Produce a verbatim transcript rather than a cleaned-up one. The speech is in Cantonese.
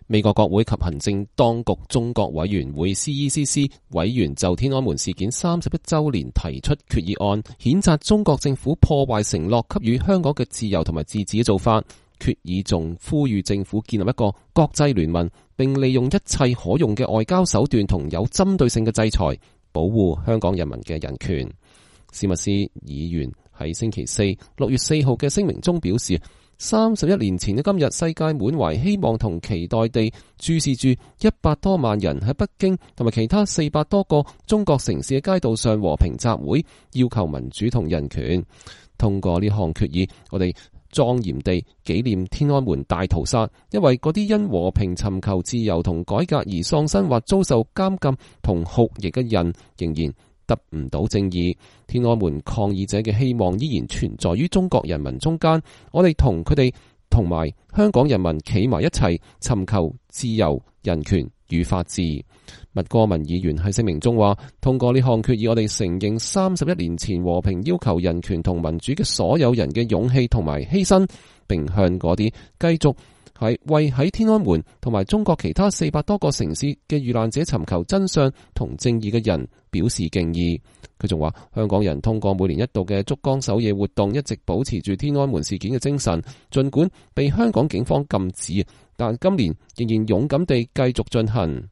美國國會及行政當局中國委員會 C E C C 委員就天安門事件三十一週年提出決議案，譴責中國政府破壞承諾給予香港嘅自由同埋自治嘅做法。決議仲呼籲政府建立一個國際聯盟，並利用一切可用嘅外交手段同有針對性嘅制裁，保護香港人民嘅人權。史密斯議員喺星期四六月四號嘅聲明中表示，三十一年前嘅今日，世界滿懷希望同期待地注視住一百多萬人喺北京同埋其他四百多個中國城市嘅街道上和平集會，要求民主同人權。通過呢項決議，我哋莊嚴地紀念天安門大屠殺，因為嗰啲因和平尋求自由同改革而喪生或遭受監禁同酷刑嘅人，仍然得唔到正義。天安門抗議者嘅希望依然存在於中國人民中間，我哋同佢哋同埋香港人民企埋一齊，尋求自由、人權與法治。麥戈文議員喺聲明中話，通過呢項決議，我哋承認三十一年前和平要求人權同民主嘅所有人嘅勇氣同埋犧牲，並向嗰啲繼續係為喺天安門同埋中國其他四百多個城市嘅遇難者尋求真相同正義嘅人表示敬意。佢仲話，香港人通過每年一度嘅燭光守夜活動，一直保持住天安門事件嘅精神，盡管被香港警方禁止，但今年仍然勇敢地繼續進行。